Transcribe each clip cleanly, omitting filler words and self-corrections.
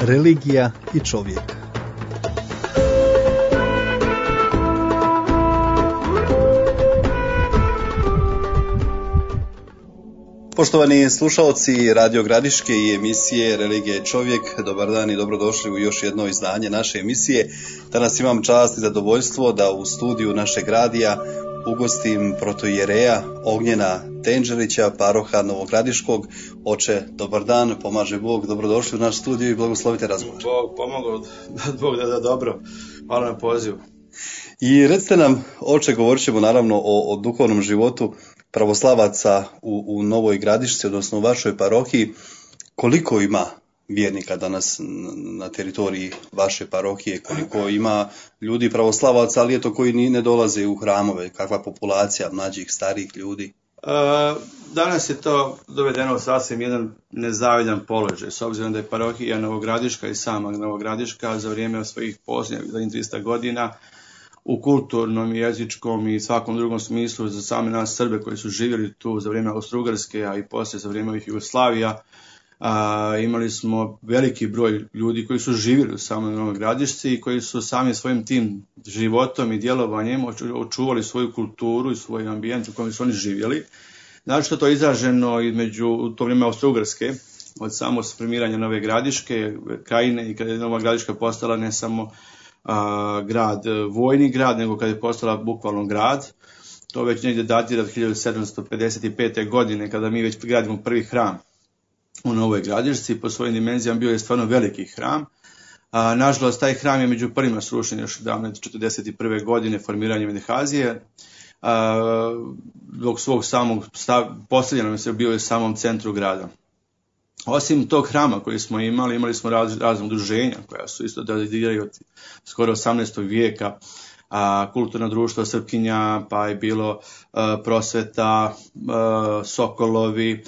Religija i čovjek. Poštovani slušalci Radio Gradiške i emisije Religija i čovjek, dobar dan i dobrodošli u još jedno izdanje naše emisije. Danas imam čast i zadovoljstvo da u studiju našeg radija ugostim protoijereja Ognjena Tenđerića, paroha Novogradiškog. Oče, dobar dan, pomaže Bog, dobrodošli u naš studio i blagoslovite razgovor. Bog pomogao, Bog da dobro, hvala na pozivu. I recite nam, oče, govorit ćemo naravno o duhovnom životu pravoslavaca u Novoj Gradišci, odnosno u vašoj parohiji. Koliko ima vjernika danas na teritoriji vaše parohije, koliko ima ljudi pravoslavaca, ali eto koji ne dolaze u hramove, kakva populacija mlađih, starijih ljudi? Danas je to dovedeno sasvim jedan nezavidan položaj, s obzirom da je parohija Novogradiška i sama Novogradiška za vrijeme svojih posljednjih 300 godina u kulturnom, jezičkom i svakom drugom smislu za same nas Srbe koji su živjeli tu za vrijeme Austro-Ugarske, a i poslije za vrijeme Jugoslavija. Imali smo veliki broj ljudi koji su živjeli u samoj Novoj Gradišci i koji su sami svojim tim životom i djelovanjem očuvali svoju kulturu i svoj ambijent u kojem su oni živjeli. Znači što to je izraženo u to vrijeme Austro-Ugarske, od samog formiranja Nove Gradiške, Krajine, i kada je Nova Gradiška postala ne samo grad, vojni grad, nego kada je postala bukvalno grad. To već negdje datira od 1755. godine kada mi već gradimo prvi hram u Novoj Gradišci. Po svojim dimenzijama bio je stvarno veliki hram. Nažalost, taj hram je među prvima srušen još 1941. godine formiranjem Medehazije. Dok svog samog postavljena se bio je u samom centru grada. Osim tog hrama koji smo imali smo razne udruženja koja su isto datiraju od skoro 18. vijeka, kulturna društva Srpkinja, pa je bilo prosveta, Sokolovi.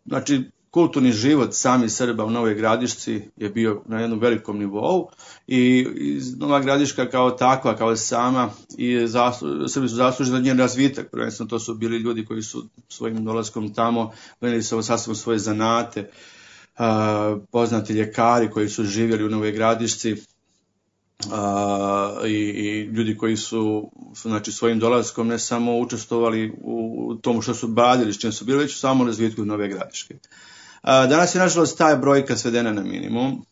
Znači, kulturni život sami Srba u Novoj Gradišci je bio na jednom velikom nivou i Nova Gradiška kao takva, kao sama, i Srbi su zaslužili za njen razvitak. Prvenstveno to su bili ljudi koji su svojim dolaskom tamo donijeli sasvim svoje zanate, poznati ljekari koji su živjeli u Novoj Gradišci, i ljudi koji su znači, svojim dolaskom ne samo učestvovali u tomu što su badili, s čim su bili, već u samom razvitku Nove Gradiške. Danas je nažalost ta brojka svedena na minimum.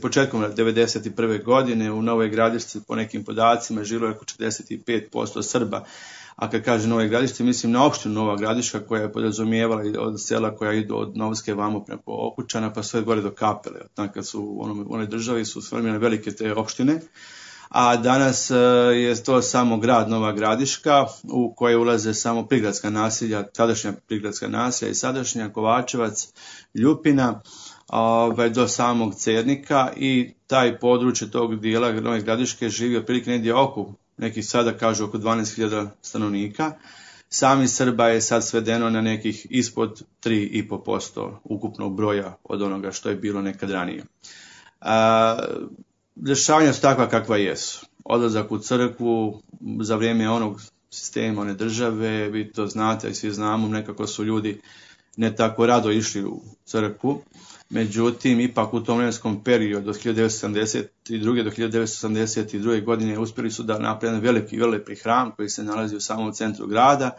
Početkom 1991. godine u Novoj Gradišci po nekim podacima žilo je oko 45% Srba. A kad kaže Nove Gradišci, mislim na opštinu Nova Gradiška koja je podrazumijevala od sela koja idu od Novske vamo preko Okučana pa sve gore do Kapele. Kad su u onoj državi su sformirane velike te opštine. A danas je to samo grad Nova Gradiška u koje ulaze samo prigradska naselja, tadašnja prigradska naselja i sadašnja Kovačevac, Ljupina, do samog Cernika, i taj područje tog dijela Nove Gradiške živi otprilike negdje oko, neki sada kažu oko 12.000 stanovnika. Sami Srba je sad svedeno na nekih ispod 3,5% ukupnog broja od onoga što je bilo nekad ranije. Dešavanja su takva kakva jesu. Odlazak u crkvu za vrijeme onog sistema, one države, vi to znate i svi znamo, nekako su ljudi ne tako rado išli u crkvu. Međutim, ipak u tom vremenskom periodu od 1972. do 1982. godine uspjeli su da naprave veliki hram koji se nalazi u samom centru grada,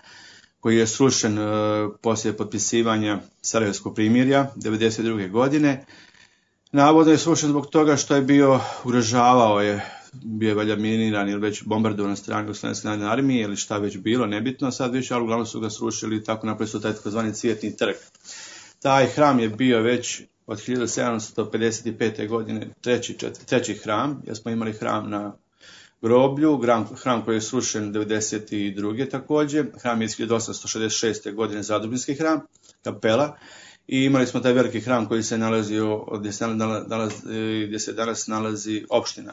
koji je srušen poslije potpisivanja Sarajevskog primirja 1992. godine. Navodno je srušen zbog toga što je bio valjda miniran ili već bombardovan na strani Jugoslavijske narodne armije ili šta već bilo, nebitno sad više, ali uglavnom su ga srušili i tako napravili su taj takozvani Cvjetni trg. Taj hram je bio već od 1755. godine treći hram, jer smo imali hram na groblju, hram koji je srušen 1992. također, hram je iz 1866. godine Zadružinski hram, kapela, i imali smo taj veliki hram koji se nalazio gdje se danas nalazi opština,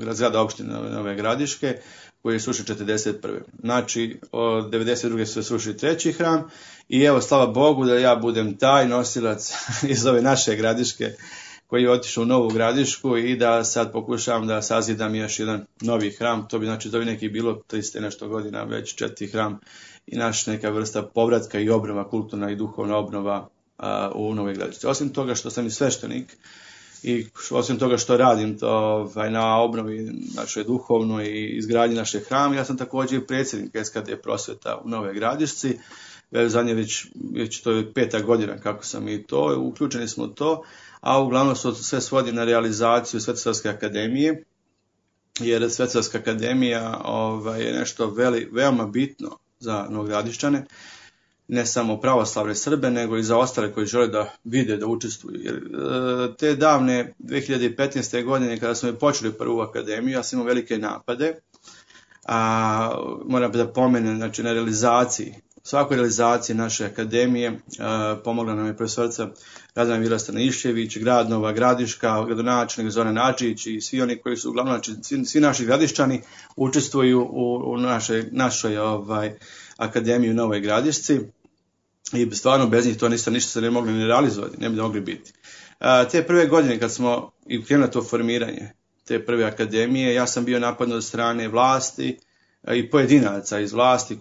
zgrada opštine Nove Gradiške, koji je srušen 1941. Znači, od 1992. su se srušili treći hram i evo, slava Bogu da ja budem taj nosilac iz ove naše Gradiške koji je otišao u Novu Gradišku i da sad pokušavam da sazidam još jedan novi hram. To bi znači da bi neki bilo 300 nešto godina već četiri hram i naš neka vrsta povratka i obnova, kulturna i duhovna obnova u Novoj Gradišci. Osim toga što sam i sveštenik i osim toga što radim to na obnovi našoj duhovnoj i izgradnji naše hrame, ja sam također i predsjednik SKD prosvjeta u Novoj Gradišci. Zadnje već to je 5. godina kako sam i to, uključeni smo u to, a uglavnom sve svodi na realizaciju Svetosavske akademije, jer Svetosavska akademija je nešto veoma bitno za Novogradišćane, ne samo pravoslavne Srbe, nego i za ostale koji žele da vide, da učestvuju. Jer te davne 2015. godine, kada smo počeli prvu akademiju, ja sam imao velike napade, moram da pomenem, znači na realizaciji, svakoj realizaciji naše akademije pomogla nam je profesorica Radana Vila Stanišćević, grad Nova Gradiška, gradonačelnik Zoran Adžić i svi oni koji su uglavnom, znači svi naši gradišćani učestvuju u našoj akademiji u Novoj Gradišci i stvarno bez njih to ništa se ne mogli ni realizovati, ne bi mogli biti. Te prve godine kad smo i krenuli to formiranje te prve akademije, ja sam bio napadnut od strane vlasti i pojedinaca iz vlasti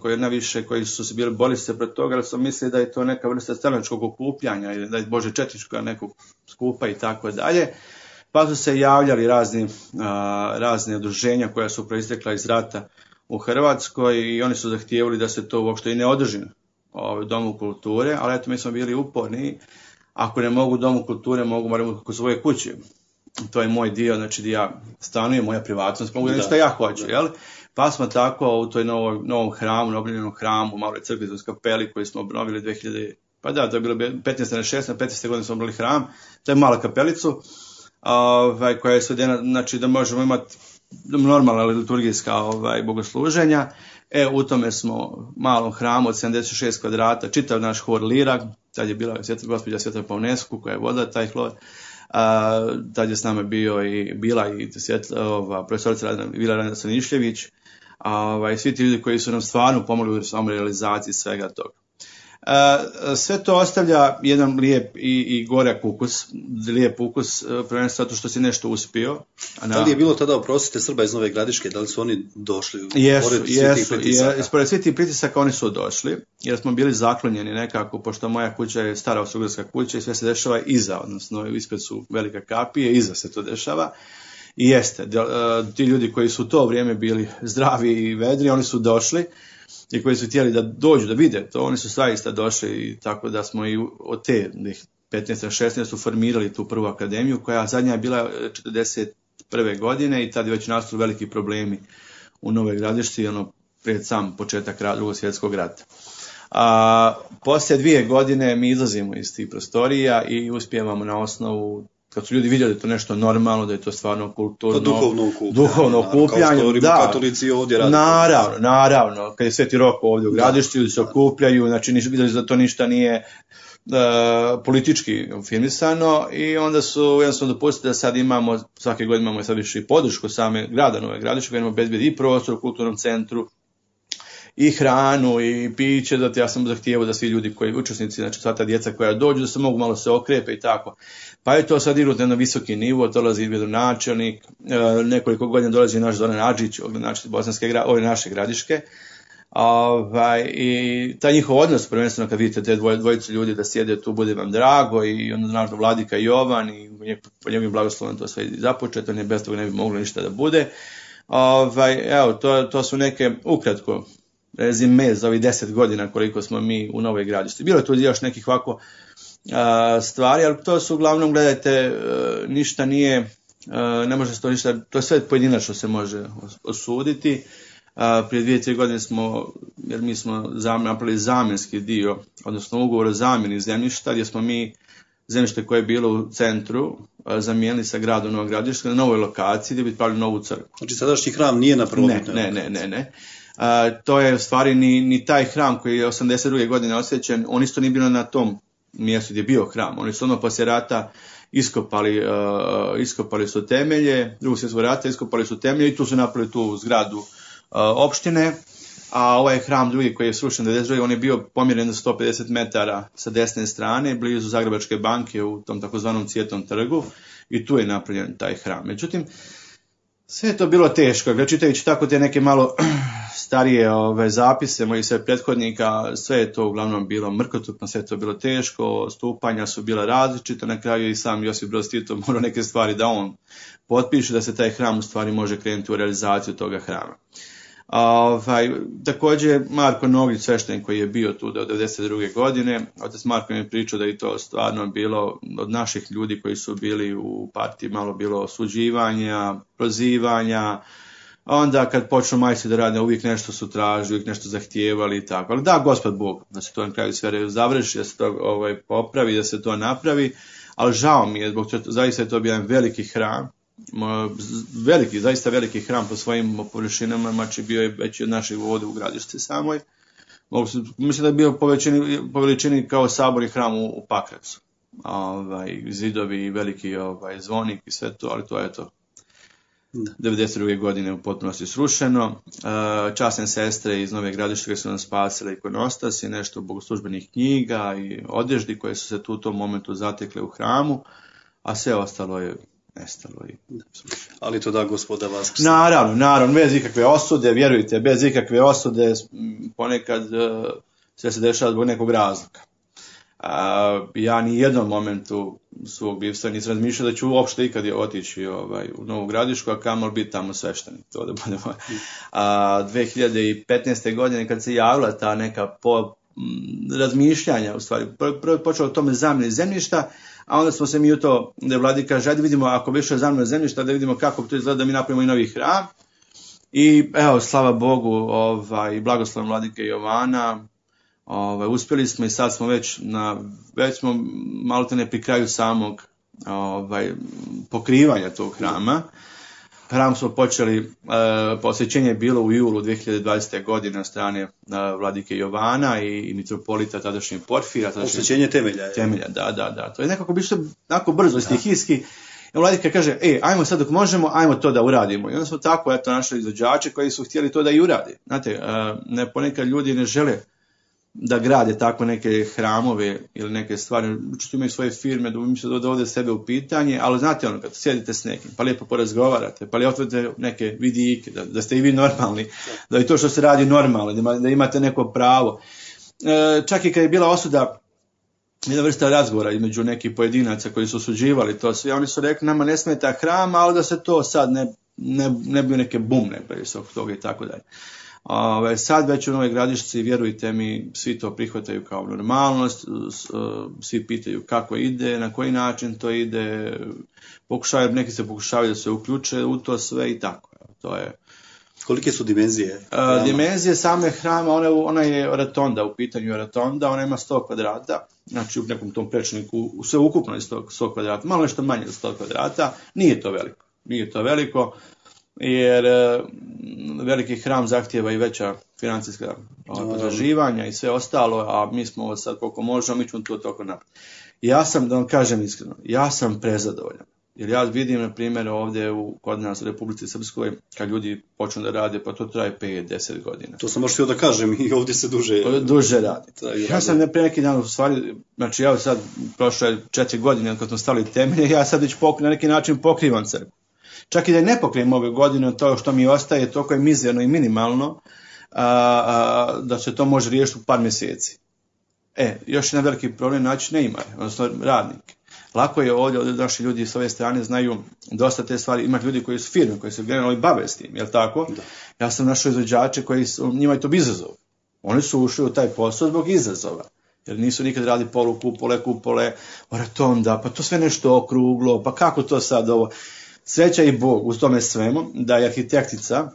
koji su se bili borili se protiv toga, ali su mislili da je to neka vrsta stranačkog okupljanja ili da je Bože četničkog nekog skupa i tako dalje. Pa su se javljali razne udruženja koja su proistekla iz rata u Hrvatskoj i oni su zahtijevali da se to uopšte i ne održi u Domu kulture, ali eto mi smo bili uporni. Ako ne mogu u Domu kulture, mogu kod svoje kuće. To je moj dio, znači gdje ja stanujem, moja privatnost, mogu reći što ja hoću, jel? Pa smo tako u toj novom hramu, obnovljenom hramu, maloj crkvi uz kapeli koju smo obnovili 2000, pa da, to je bilo 15. na 16. 15. godine smo obnovili hram, to je mala kapelicu, koja je svedena, znači da možemo imati normalna liturgijska bogosluženja. U tome smo malom hramu od 76 kvadrata, čitav naš hor lira, tad je bila gospođa Sveta Pavnesku koja je vodila taj hor. Tad je s nama bila i profesorica Vila Radana Stanišćević, svi ti ljudi koji su nam stvarno pomogli u samoj realizaciji svega toga. Sve to ostavlja jedan lijep i gorak ukus, prvenstveno zato što si nešto uspio. Da li je bilo tada, oprostite, Srba iz Nove Gradiške, da li su oni došli? Pored svih tih pritisaka oni su došli, jer smo bili zaklonjeni nekako, pošto moja kuća je stara austrougarska kuća i sve se dešava iza, odnosno ispred su velika kapije, iza se to dešava. I jeste, ti ljudi koji su u to vrijeme bili zdravi i vedri, oni su došli, i koji su htjeli da dođu da vide to, oni su zaista došli i tako da smo i od te 15-16 su formirali tu prvu akademiju koja zadnja je bila 41. godine i tad je već nastali veliki problemi u Novoj Gradišci, pred sam početak Drugog svjetskog rata. Poslije 2 godine mi izlazimo iz tih prostorija i uspijevamo na osnovu, kad su ljudi vidjeli da je to nešto normalno, da je to stvarno kulturno, duhovno okupljanje. Da, katolici ovdje radi. Naravno, kad je Sveti Rok ovdje u Gradišću, ljudi se okupljaju, znači vidjeli da to ništa nije politički firmisano i onda su jednostavno dopustili da sad imamo, svake godine imamo sad više i podršku same grada Nove Gradišće, koji imamo obezbedi i prostor u kulturnom centru, i hranu i piće, zato ja sam zahtijevao da svi ljudi koji učesnici, znači sva ta djeca koja dođu, da se mogu malo se okrepe i tako. Pa je to sad igrati na visoki nivo, dolazi gradonačelnik, nekoliko godina dolazi naš Zoran Adžić, ove naše Gradiške. I taj njihov odnos, prvenstveno kad vidite te dvojice ljudi da sjede tu, bude vam drago, i onda naravno Vladika Jovan i po njegovim blagoslovom to sve započeto, bez toga ne bi moglo ništa da bude. Evo, to su neke ukratko rezime za ovih 10 godina koliko smo mi u Novoj Gradišci. Bilo je tu još nekih ovako stvari, ali to su uglavnom, gledajte, ništa nije, ne može se to ništa, to je sve pojedinačno se može osuditi. Prije 2-3 godine jer mi smo napravili zamjenski dio, odnosno ugovor o zamjeni zemljišta, gdje smo mi zemljište koje je bilo u centru zamijenili sa gradom Nova Gradiška na novoj lokaciji gdje bi pravili novu crkvu. Znači sadašnji hram nije na prvobitnoj lokaciji? Ne. To je u stvari ni taj hram koji je 82. godine osvećen, on isto nije bilo na tom mjestu gdje je bio hram. Oni su poslije rata iskopali su temelje, Drugog svjetskog rata iskopali su temelje i tu su napravili tu zgradu opštine, a ovaj hram drugi koji je srušen 92. on je bio pomjeren do 150 metara sa desne strane, blizu Zagrebačke banke u tom takozvanom Cvjetnom trgu, i tu je napravljen taj hram. Međutim, Sve je to bilo teško, čitajući tako te neke malo starije zapise mojih sve prethodnika, sve je to uglavnom bilo mrkotupno, sve je to bilo teško, stupanja su bila različita, na kraju i sam Josip Broz Tito morao neke stvari da on potpiše, da se taj hram u stvari može krenuti u realizaciju toga hrama. Također Marko Noglić, sveštenik koji je bio tu do 1992. godine, otac Marko mi je pričao da je to stvarno bilo od naših ljudi koji su bili u partiji malo bilo osuđivanja, prozivanja, onda kad počnu majci da rade uvijek nešto su tražili, uvijek nešto zahtijevali i tako. Ali da, Gospod Bog, da se to na kraju sve završi, da se to popravi, da se to napravi, ali žao mi je, zbog toga zaista je to bio jedan veliki hram, veliki, zaista veliki hram po svojim površinama, znači bio je veći od našeg vode u Gradišci samoj. Mislim da je bio po veličini kao saborni hram u Pakracu. Zidovi, veliki zvonik i sve to, ali to je to. 1992. godine u potpunosti srušeno. Časne sestre iz Nove Gradiške su nam spasile ikonostas i nešto bogoslužbenih knjiga i odeždi koje su se tu u tom momentu zatekle u hramu, a sve ostalo je nestalo. Ali to da Gospoda vaskrsi. Naravno, bez ikakve osude, vjerujte, bez ikakve osude, ponekad sve se dešava zbog nekog razloga. Ja ni jednom momentu svog bivstva nisam razmišljao da ću uopšte ikad otići u Novu Gradišku, a kamoli biti tamo sveštenik. To da budemo. 2015. godine kad se javila ta neka razmišljanja, u stvari, prvo počelo o tome zamjeni zemljišta, a onda smo se mi u to, da Vladika kaže, ajde vidimo ako bi išlo zamjena zemljišta, da vidimo kako to izgleda da mi napravimo i novi hram. I evo, slava Bogu, i blagoslovom Vladike Jovana, uspjeli smo i sad smo već smo malo te ne pri kraju samog pokrivanja tog hrama. Hram smo počeli, posvećenje je bilo u julu 2020. godine od strane Vladike Jovana i mitropolita tadašnjeg Porfira. Posvećenje temelja. Temelja, da. To je nekako bilo onako brzo, stihijski. I Vladika kaže, ajmo sad dok možemo, ajmo to da uradimo. I onda smo tako našli izvođače koji su htjeli to da i uradi. Znate, ponekad ljudi ne žele da grade tako neke hramove ili neke stvari, učito imaju svoje firme, da misle da dovode sebe u pitanje, ali znate kad sjedite s nekim, pa lijepo porazgovarate, pa lijepo otvorite neke vidike, da ste i vi normalni, da i to što se radi normalno, da imate neko pravo. Čak i kad je bila osuda, jedna vrsta razgovora između nekih pojedinaca koji su osuđivali to sve, oni su rekli nama ne smeta hram, ali da se to sad ne bi neke bumne previše oko toga i tako dalje. Sad već u Novoj Gradišci, vjerujte mi, svi to prihvataju kao normalnost, svi pitaju kako ide, na koji način to ide, neki se pokušavaju da se uključe u to sve i tako. To je. Kolike su dimenzije? Dimenzije same hrama, ona je oratonda, u pitanju oratonda, ona ima 100 kvadrata, znači u nekom tom prečniku, sve ukupno je 100 kvadrata, malo nešto manje od 100 kvadrata, nije to veliko, jer veliki hram zahtijeva i veća financijska potraživanja i sve ostalo, a mi smo sad koliko možemo, mi ćemo to toliko napraviti. Ja sam, da vam kažem iskreno, ja sam prezadovoljan. Jer ja vidim, na primjer, ovdje kod nas u Republici Srpskoj, kad ljudi počnu da rade, pa to traje 5-10 godina. To sam možda htio da kažem, i ovdje se duže radi. Ja sam pre neki dan, u stvari, znači ja sad, prošlo je 4 godine kad smo stavili temelje, ja sad već na neki način pokrivam crkvu. Čak i da ne pokrijem ove godine, to što mi ostaje, toliko je mizerno i minimalno, da se to može riješiti u par mjeseci. Još jedan veliki problem naći neimare, odnosno radnike. Lako je ovdje naši ljudi s ove strane znaju dosta te stvari, ima ljudi koji su firme, koji se generalno bave s tim, jel tako? Da. Ja sam našao izvođače koji njima je to izazov. Oni su ušli u taj posao zbog izazova. Jer nisu nikad radili kupole, oratonda, pa to sve nešto okruglo, pa kako to sad ovo? Sreća i Bog u tome svemu da je arhitektica,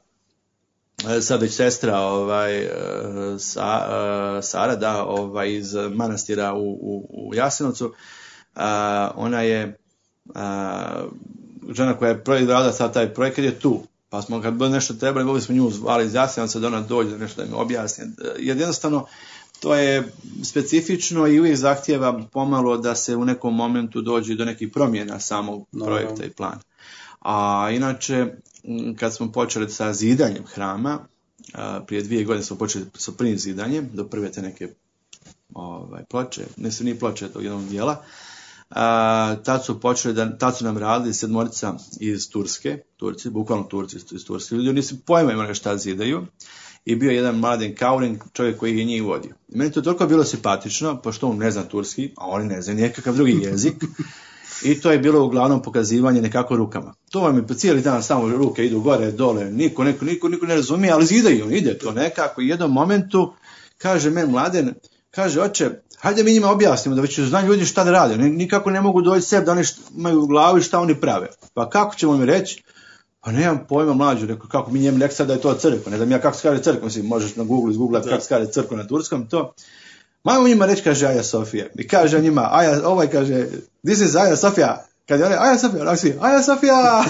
sad već sestra Sara, iz manastira u Jasenovcu, ona je žena koja je radila sad taj projekat je tu. Pa smo kad bilo nešto trebali, mogli smo nju zvali iz Jasenovca da ona dođe da nešto da mi objasni. Jer jednostavno to je specifično i uvijek zahtijeva pomalo da se u nekom momentu dođe do nekih promjena samog projekta i plana. A inače, kad smo počeli sa zidanjem hrama, prije 2 godine smo počeli sa prvim zidanjem, do prve te neke ploče, nije ploče tog jednog dijela, Tad su nam radili 7 iz Turci, bukvalno Turci iz Turske. Ljudi nisu pojma imali šta zidaju. I bio jedan Mladen Kaurin, čovjek koji je njih vodio. I meni to toliko bilo simpatično, pošto on ne zna turski, a oni ne znaju nikakav drugi jezik. I to je bilo uglavnom pokazivanje nekako rukama. To vam je po cijeli dan samo ruke idu gore, dole, niko ne razumije, ali zidaju, ide to nekako. I u jednom momentu kaže meni Mladen, kaže, oče, hajde mi njima objasnimo da već znaju ljudi šta da rade. Nikako ne mogu doći sebi da oni imaju u glavi šta oni prave. Pa kako ćemo mi reći? Pa nemam pojma, mlađu, rekao, kako mi njemu rekao da je to crkva, ne znam ja kako se kaže crkva, mislim, možeš na Google izgooglati kako se kaže crkva na turskom, to. Majmo njima reći, kaže Aja Sofija, i kaže njima, kaže, this is Aja Sofija, kad je on, Aja Sofija,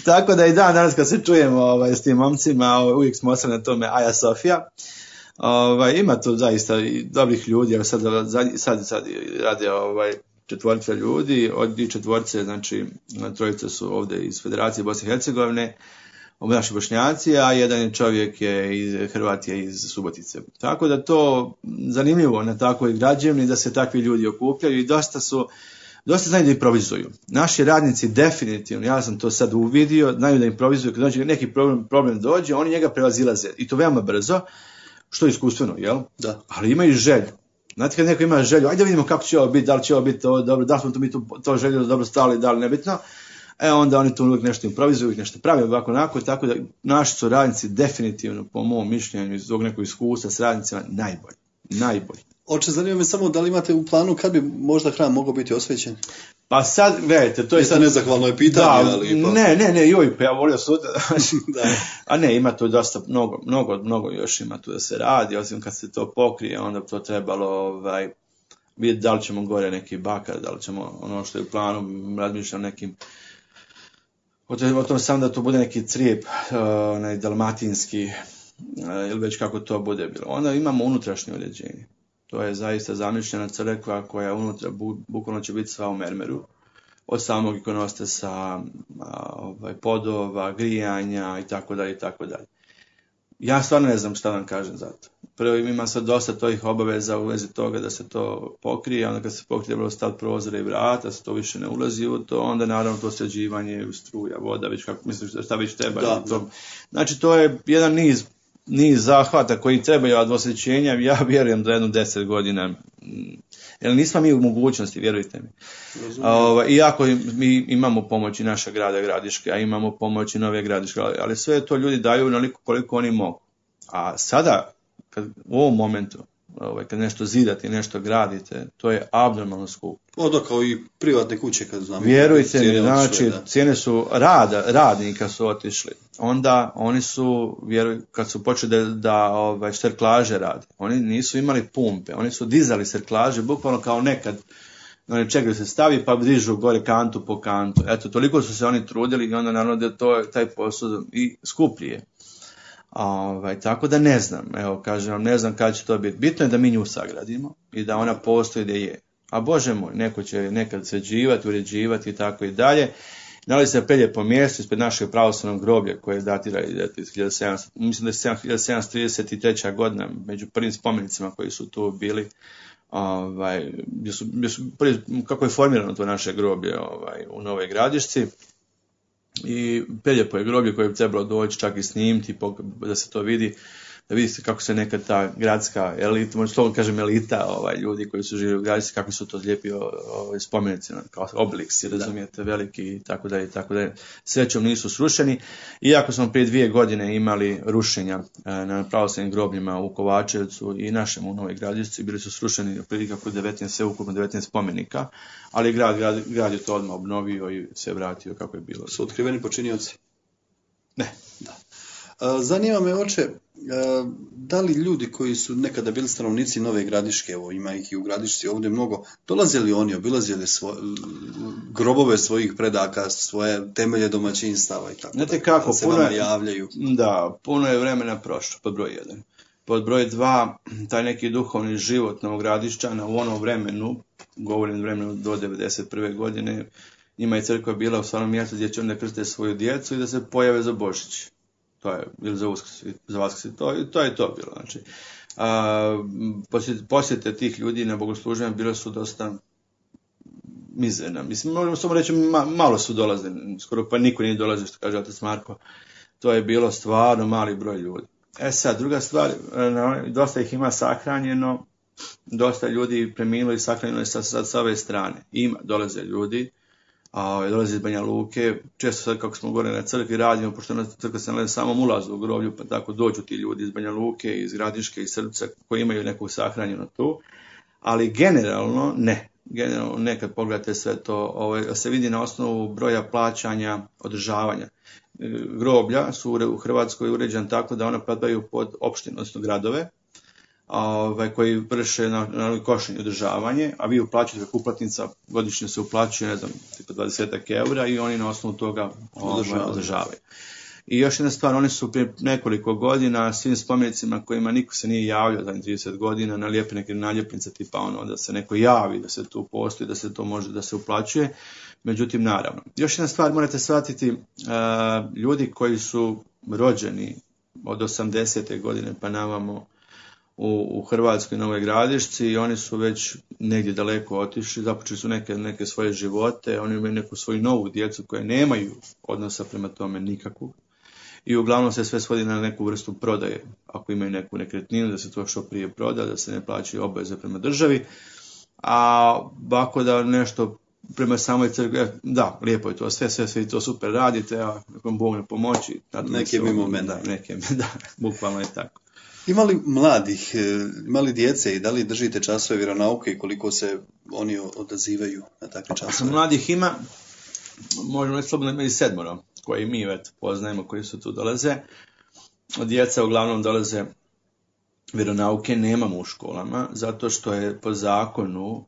tako da i danas kad se čujemo s tim momcima, uvijek smo ostali na tome Aja Sofija. Ima tu zaista i dobrih ljudi, evo sad rade 4 ljudi, od 4, znači 3 su ovdje iz Federacije Bosne i Hercegovine, naši Bošnjaci, a jedan čovjek je iz Hrvatije iz Subotice. Tako da to zanimljivo na takvoj građevini da se takvi ljudi okupljaju i dosta znaju da improvizuju. Naši radnici definitivno, ja sam to sad uvidio, znaju da improvizuju, kad neki problem dođe, oni njega prevazilaze i to veoma brzo, što je iskustveno, jel? Da. Ali imaju želju. Znate kad neko ima želju, ajde vidimo kako će ovo biti, da li će ovo biti to dobro, da li smo to željeli dobro stali, da li nebitno. Onda oni tu uvijek nešto improvizuju, uvijek nešto pravi ovako onako, tako da naši su radnici definitivno, po mom mišljenju, iz ovog nekog iskustva s radnicima, najbolji. Oče, zanima me samo da li imate u planu kad bi možda hram mogao biti osvećen? Pa sad, gledajte, to je... sad nezahvalno je pitanje, da, ali... Pa... Ne, pa ja volio sutra. A ne, ima tu dosta, mnogo još ima tu da se radi, osim kad se to pokrije, onda to trebalo vidjeti da li ćemo gore neki bakar, da li ćemo ono što je u planu, razmišljam nekim... O tom sam da to bude neki crijep, dalmatinski, ili već kako to bude bilo. Onda imamo unutrašnje uređenje. To je zaista zamišljena crkva koja unutra bukvalno će biti sva u mermeru. Od samog ikonostasa, podova, grijanja i tako dalje. Ja stvarno ne znam šta vam kažem za to. Prvo ima sad dosta tovih obaveza u vezi toga da se to pokrije, onda kad se pokrije trebalo staviti prozore i vrata, se to više ne ulazi u to, onda naravno to sređivanje, struja, voda, već kako misliš šta već treba. Da. Znači to je jedan niz zahvata koji trebaju od osvećenja, ja vjerujem da 10 godina, jer nismo mi u mogućnosti, vjerujte mi. Iako mi imamo pomoć i naša grada Gradiške, a imamo pomoć i Nove Gradiške, ali sve to ljudi daju onoliko koliko oni mogu. A sada, u ovom momentu, kad nešto zidate i nešto gradite, to je abnormalno skupo. Kao i privatne kuće, kad znamo. Vjerujte mi, znači, cijene su radnika su otišli. Onda oni su, kad su počeli da serklaže rade, oni nisu imali pumpe, oni su dizali serklaže, bukvalno kao nekad, oni čekaju se stavi pa dižu gore kantu po kantu. Eto, toliko su se oni trudili i onda naravno da to taj posao i skuplji je. Tako da ne znam, evo kažem vam, ne znam kada će to biti. Bitno je da mi nju sagradimo i da ona postoji gdje je. A Bože moj, neko će nekad sređivati, uređivati i tako i dalje. Da li se pelje po mjestu ispred našeg pravoslavnog groblja koje datira iz 1700, mislim da je 1733. godina, među prvim spomenicima koji su tu bili, kako je formirano to naše groblje u Novoj Gradišci. I Peljepo je groblje koje bi trebalo doći čak i snimiti da se to vidi, da vidite kako se nekad ta gradska elita, možda slobodno kažem elita, ljudi koji su živjeli u Gradišci, kako su to lijepi spomenici, kao Obelix, razumijete, veliki i tako dalje. Srećom nisu srušeni, iako smo prije 2 godine imali rušenja na pravoslavnim grobljima u Kovačevcu i našem u Novoj Gradišci, bili su srušeni otprilike oko 19 spomenika, ali grad je to odmah obnovio i se vratio kako je bilo. Su otkriveni počinioci? Ne. Da. Zanima me, oče, da li ljudi koji su nekada bili stanovnici Nove Gradiške, evo ima ih i u Gradišci ovdje mnogo, dolazili oni, obilazili grobove svojih predaka, svoje temelje domaćinstava i tako da. Znate kako, se vama javljaju? Da, puno je vremena prošlo, pod broj 1. Pod broj 2, taj neki duhovni život Novogradišćana u onom vremenu, govorim vremenu do 1991. godine, njima je crkva bila u stvarnom mjestu gdje će onda krstiti svoju djecu i da se pojave za Božić. To je, ili za Uskrs, za Vaskrs, to je to bilo. Znači, posjete tih ljudi na bogosluženju bile su mizerna. Mislim, možemo samo reći, malo su dolazili, skoro pa niko nije dolazio, što kaže otac Marko. To je bilo stvarno mali broj ljudi. Sad, druga stvar, dosta ih ima sahranjeno, dosta ljudi preminulo i sahranjeno je sa ove strane. Dolaze ljudi, dolaze iz Banja Luke, često sad kako smo gore na crkvi radimo, pošto na crkva se nalazi samom ulazu u groblju, pa tako dođu ti ljudi iz Banja Luke, iz Gradiške, iz Srbca, koji imaju nekog sahranjeno tu, ali generalno ne. Generalno ne, kad pogledate sve to, se vidi na osnovu broja plaćanja, održavanja. Groblja su u Hrvatskoj uređen tako da ona padaju pod opštine, odnosno gradove, koji vrše na košenje održavanje, a vi uplaćate kako uplatnica, godišnje se uplaćuje, ne znam, tipa 20 eura i oni na osnovu toga održavaju. I još jedna stvar, oni su prije nekoliko godina svim spomenicima kojima niko se nije javljao za 30 godina, nalijepe neke naljepnice tipa da se neko javi, da se tu postoji, da se to može da se uplaćuje. Međutim, naravno. Još jedna stvar, morate shvatiti, ljudi koji su rođeni od 80. godine pa navamo u Hrvatskoj Novoj Gradišci, oni su već negdje daleko otišli, započeli su neke svoje živote, oni imaju neku svoju novu djecu koje nemaju odnosa prema tome nikakvog. I uglavnom se sve svodi na neku vrstu prodaje. Ako imaju neku nekretninu, da se to što prije proda, da se ne plaćaju obveze prema državi. A ako da nešto prema samoj crkvi, da, lijepo je to, sve to super radite, a nekom Bog ne pomoći. Neke mimo mene. Da, bukvalno je tako. Ima li mladih, ima li djece i da li držite časove vjeronauke i koliko se oni odazivaju na takve časove? Mladih ima, možemo reći slobodno imali 7 koji mi poznajemo, koji su tu dolaze. Djeca uglavnom dolaze vjeronauke, nemamo u školama, zato što je po zakonu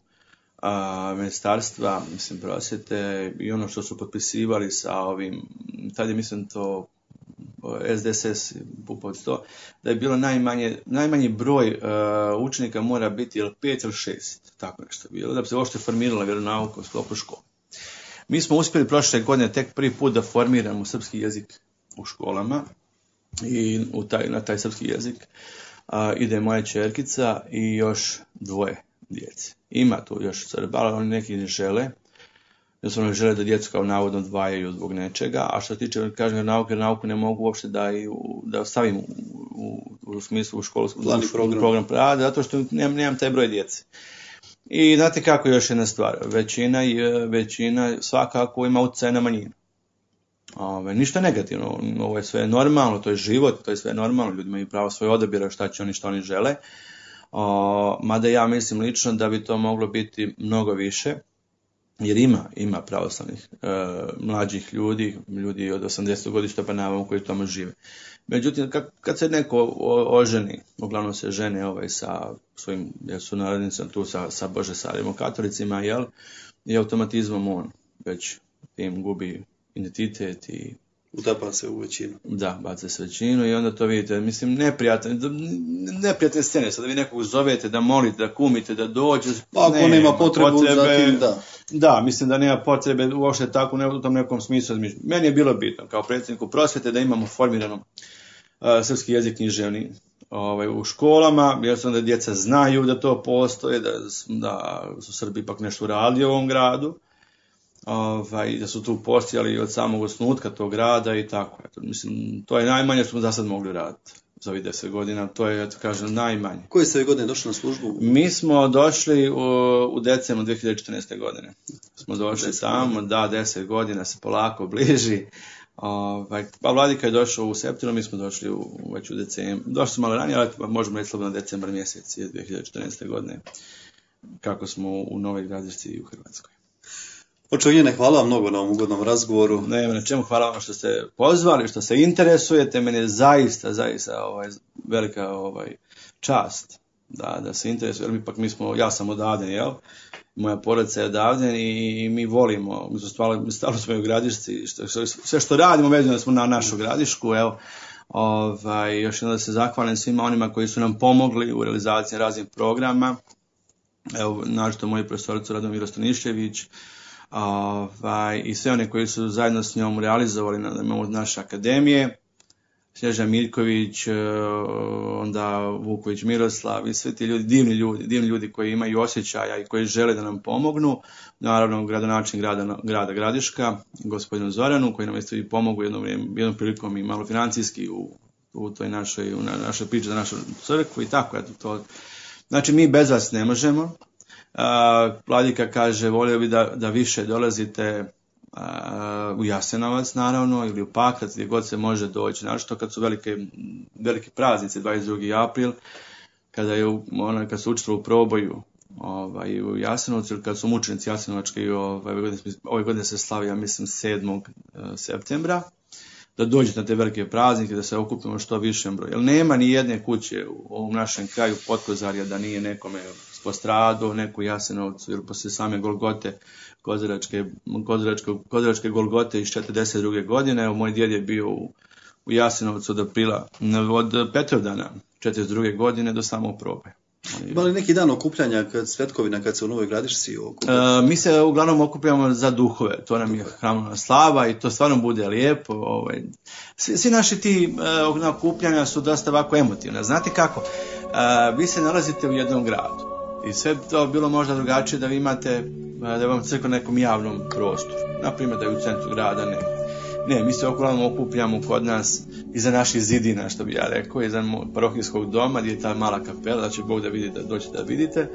ministarstva, mislim, prosvjete i ono što su potpisivali sa ovim, tad je mislim to SDSS, to, da je bilo najmanji broj učenika mora biti 5 ili 6, tako nešto bilo, da bi se uopšte formirala vjeronauka u sklopu škole. Mi smo uspjeli prošle godine tek prvi put da formiramo srpski jezik u školama i na taj srpski jezik ide moja ćerkica i još 2 djece. Ima tu još srbala, oni neki ne žele, jer oni žele da djecu kao navodno odvajaju zbog nečega, a što se tiče, kažem, nauku ne mogu uopšte da stavim u smislu u školu, program rada, zato što nemam taj broj djece. I znate kako još jedna stvar, većina svakako ima utjecaj na manjinu. Ništa negativno, ovo je sve normalno, to je život, to je sve normalno, ljudi imaju pravo svoje odabira šta će oni, što oni žele. Mada ja mislim lično da bi to moglo biti mnogo više, jer ima pravoslavnih mlađih ljudi od 80 godišta pa navamo koji tamo žive. Međutim, kad se neko oženi, uglavnom se žene sa svojim sunarodnicima tu sa božesarima, katolicima, i automatizmom on već tim gubi identitet i utapa se u većinu. Da, baca se većinu i onda to vidite, mislim, neprijatne scene, sad da vi nekog zovete, da molite, da kumite, da dođe. Ako nema potrebe, zatim da. Da, mislim da nema potrebe uopšte tako u tom nekom smislu. Meni je bilo bitno, kao predsjedniku prosvjete, da imamo formirano srpski jezik književni u školama, jer su onda djeca znaju da to postoje, da su Srbi ipak nešto radili u ovom gradu. Da su tu postojali od samog osnutka tog rada i tako. Mislim, to je najmanje što smo za sad mogli raditi za ovih 10 godina, to je, kažem, najmanje. Koje ste godine došli na službu? Mi smo došli u decembru 2014. godine. Smo došli tamo, 10 godina se polako bliži. Pa Vladika je došao u septembru, mi smo došli već u decembru. Došli smo malo ranije, ali možemo reći slobodno decembar mjesec 2014. godine, kako smo u Novoj Gradišci i u Hrvatskoj. Očevljene, hvala vam mnogo na ovom ugodnom razgovoru. Na čemu hvala vam što ste pozvali, što se interesujete. Meni je zaista velika čast da se interesuje. Ja sam odavden, moja porodica je odavden i mi volimo, stalo smo u Gradišci, sve što radimo vezano smo na našu Gradišku, još jednom da se zahvalim svima onima koji su nam pomogli u realizaciji raznih programa, naročito moji profesoricu Radomir Stanišević, i sve one koji su zajedno s njom realizovali na naše akademije, Snježana Miljković, onda Vuković Miroslav i svi ti ljudi, divni ljudi koji imaju osjećaja i koji žele da nam pomognu. Naravno, gradonačelnik grada Gradiška, gospodinu Zoranu, koji nam isto i pomogu jednom prilikom i malo financijski u toj našoj priči za našu crkvu i tako. Eto, to. Znači, mi bez vas ne možemo. Vladika kaže, volio bi da više dolazite u Jasenovac, naravno, ili u Pakrac, gdje god se može doći. Našto kad su veliki praznici, 22. april, kad su učestvovali u proboju u Jasenovcu, ili kad su mučenici Jasenovački, ove godine se slavi, ja mislim, 7. septembra, da dođete na te velike praznike, da se okupimo što višem broju. Jer nema ni jedne kuće u ovom našem kraju Potkozarja da nije nekome postradao, neku Jasenovcu, ili poslije same Golgote, Kozaračke Golgote iz 42. godine. Moj djed je bio u Jasenovcu od Petrovdana 42. godine do samog proboja. Ima li neki dan okupljanja, svetkovina, kad se u Novoj Gradišci okuplja? Mi se uglavnom okupljamo za duhove, to nam je hramovna slava i to stvarno bude lijepo. Svi naši ti okupljanja su dosta ovako emotivne. Znate kako? Vi se nalazite u jednom gradu i sve to bilo možda drugačije da vi imate, da vam crkva na nekom javnom prostoru. Naprimjer da je u centru grada, ne, mi se uglavnom okupljamo kod nas iza naših zidina, što bi ja rekao, iza parohijskog doma gdje je ta mala kapela, da će Bog da vidite, da dođete da vidite.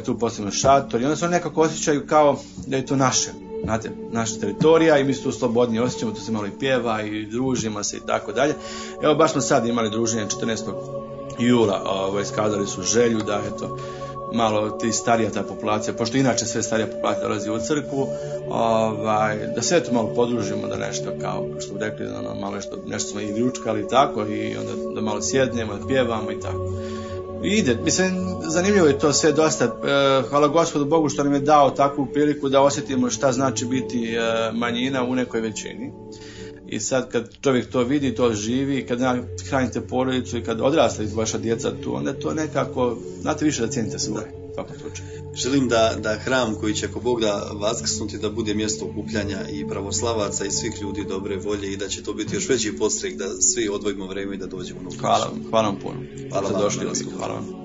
Tu postavimo šator i onda se oni nekako osjećaju kao da je to naše, znate, naša teritorija i mi se tu slobodni osjećamo, tu se malo i pjeva i družimo se i tako dalje. Evo baš smo sad imali druženje 14. jula, iskazali su želju da eto, malo ti starija ta populacija, pošto inače sve starija populacija dolazi u crkvu, da se eto malo podružimo, da nešto kao što bi rekli, malo nešto smo i ručkali i tako, i onda da malo sjednemo, da pjevamo i tako. Ide, mislim, zanimljivo je to sve dosta. Hvala Gospodu Bogu što nam je dao takvu priliku da osjetimo šta znači biti manjina u nekoj većini. I sad kad čovjek to vidi, to živi, kad hranite porodicu i kad odrasli vaša djeca tu, onda to nekako, znate više da cijenite svoje. Želim da hram koji će ako Bog da vaskrsnuti da bude mjesto okupljanja i pravoslavaca i svih ljudi dobre volje i da će to biti još veći podstrek da svi odvojimo vrijeme i da dođemo na Hvala vam puno. Hvala vam. Hvala vam.